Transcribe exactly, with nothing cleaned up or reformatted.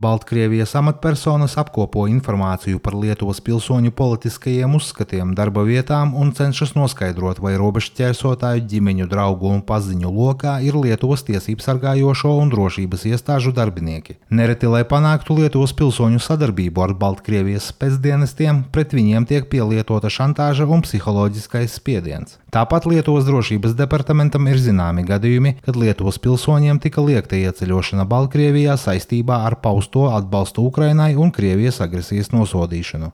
Baltkrievijas amatpersonas apkopo informāciju par Lietuvas pilsoņu politiskajiem uzskatiem, darba vietām un cenšas noskaidrot, vai robežšķērsotāju ģimeņu, draugu un paziņu lokā ir Lietuvas tiesību sargājošo un drošības iestāžu darbinieki. Nereti, lai panāktu Lietuvas pilsoņu sadarbību ar Baltkrievijas spēcdienestiem, pret viņiem tiek pielietota šantāža un psiholoģiskais spiediens. Tāpat Lietuvas drošības departamentam ir zināmi gadījumi, kad Lietuvas pilsoņiem tika liegta ieceļošana Baltkrievijā saistībā ar pausto atbalstu Ukrainai un Krievijas agresijas nosodīšanu.